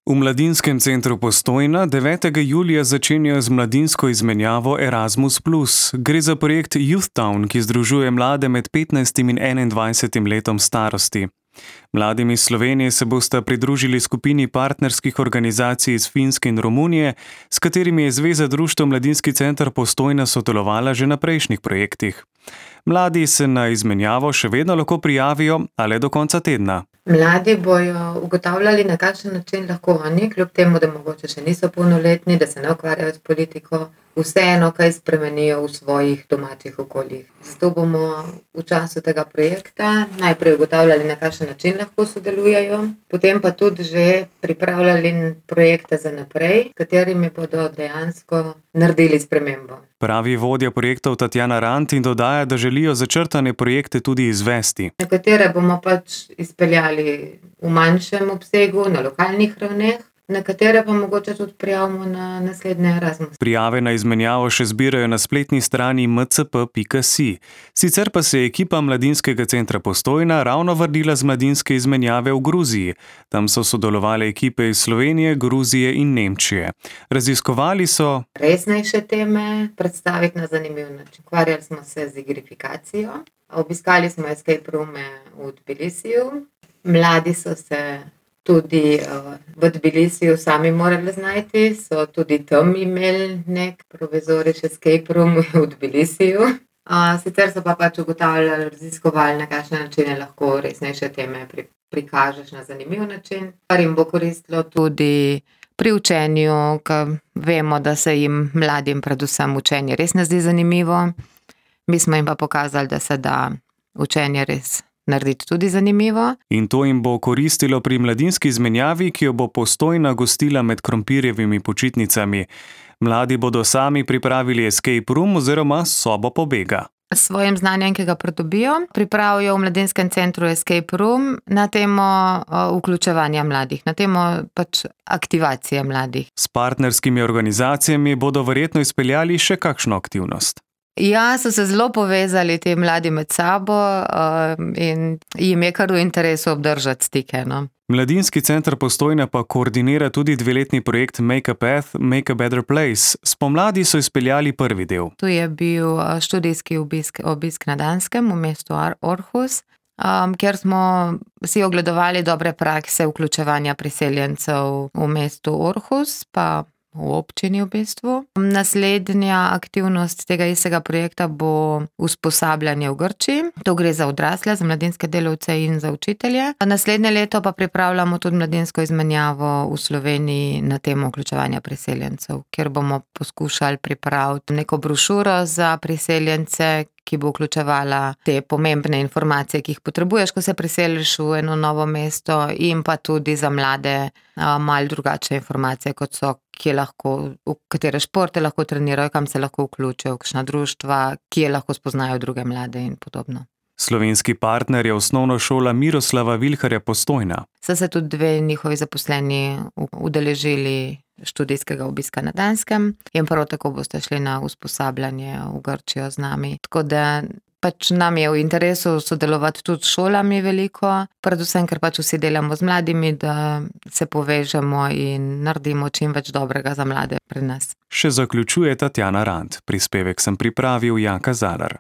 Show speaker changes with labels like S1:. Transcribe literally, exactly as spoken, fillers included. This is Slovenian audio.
S1: V Mladinskem centru Postojna devetega julija začenjajo z mladinsko izmenjavo Erasmus plus. Gre za projekt Youth Town, ki združuje mlade med petnajstim in enaindvajsetim letom starosti. Mladim iz Slovenije se bosta pridružili skupini partnerskih organizacij iz Finske in Romunije, s katerimi je Zveza društev Mladinski center Postojna sodelovala že na prejšnjih projektih. Mladi se na izmenjavo še vedno lahko prijavijo, a le do konca tedna.
S2: Mladi bojo ugotavljali, na kakšen način lahko oni, kljub temu, da mogoče še niso polnoletni, da se ne ukvarjajo s politiko, vseeno kaj spremenijo v svojih domačih okoljih. Zato bomo v času tega projekta najprej ugotavljali, na kakšen način lahko sodelujejo, potem pa tudi že pripravljali projekte za naprej, s katerimi bodo dejansko naredili spremembo.
S1: Pravi vodja projektov Tatjana Rant in dodaja, da želijo začrtane projekte tudi izvesti.
S2: Nekatere bomo pač izpeljali v manjšem obsegu, na lokalnih ravneh, nekatere pa mogoče tudi prijavimo na naslednje Erasmus.
S1: Prijave na izmenjavo še zbirajo na spletni strani m c p pika si. Sicer pa se je ekipa Mladinskega centra Postojna ravno vrnila z mladinske izmenjave v Gruziji. Tam so sodelovale ekipe iz Slovenije, Gruzije in Nemčije. Raziskovali so
S2: resnejše teme, predstaviti na zanimiv način. Ukvarjali smo se z igrifikacijo, obiskali smo escape roome v Tbilisiju. Mladi so se tudi uh, v Tbilisiju sami morali znajti, so tudi tam imeli nek provizorični escape room v Tbilisiju. Uh, sicer so pa pač ugotavljali, raziskovali, na kakšne načine lahko resnejše teme pri, prikažeš na zanimiv način, kar jim bo koristilo tudi pri učenju, ker vemo, da se jim mladim predvsem učenje res ne zdi zanimivo. Mi smo jim pa pokazali, da se da učenje res narediti tudi zanimivo.
S1: In to jim bo koristilo pri mladinski izmenjavi, ki jo bo Postojna gostila med krompirjevimi počitnicami. Mladi bodo sami pripravili escape room oziroma sobo pobega.
S2: S svojim znanjem, ki ga pridobijo, pripravijo v Mladinskem centru escape room na temo vključevanja mladih, na temo pač aktivacije mladih.
S1: S partnerskimi organizacijami bodo verjetno izpeljali še kakšno aktivnost.
S2: Ja, so se zelo povezali ti mladi med sabo uh, in jim je kar v interesu obdržati stike. No?
S1: Mladinski center Postojna pa koordinira tudi dveletni projekt Make a Path, Make a Better Place. Spomladi so izpeljali prvi del.
S2: Tu je bil študijski obisk, obisk na Danskem v mestu Aarhus, um, kjer smo si ogledovali dobre prakse vključevanja priseljencev v mestu Aarhus, pa v občini v bistvu. Naslednja aktivnost tega istega projekta bo usposabljanje v Grčiji. To gre za odrasle, za mladinske delavce in za učitelje. Naslednje leto pa pripravljamo tudi mladinsko izmenjavo v Sloveniji na temo vključevanja priseljencev, kjer bomo poskušali pripraviti neko brošuro za priseljence, ki bo vključevala te pomembne informacije, ki jih potrebuješ, ko se priseliš v eno novo mesto, in pa tudi za mlade malo drugačne informacije, kot so, kje lahko, v katere športe lahko trenirajo, kam se lahko vključijo, kakšna društva, kje lahko spoznajo druge mlade in podobno.
S1: Slovenski partner je osnovna šola Miroslava Vilharja Postojna.
S2: So se tudi dve njihovi zaposleni udeležili študijskega obiska na Danskem in prav tako boste šli na usposabljanje v Grčijo z nami. Tako da pač nam je v interesu sodelovati tudi s šolami veliko, predvsem, ker pač vsi delamo z mladimi, da se povežemo in naredimo čim več dobrega za mlade pri nas.
S1: Še zaključuje Tatjana Rant. Prispevek sem pripravil Janka Zalar.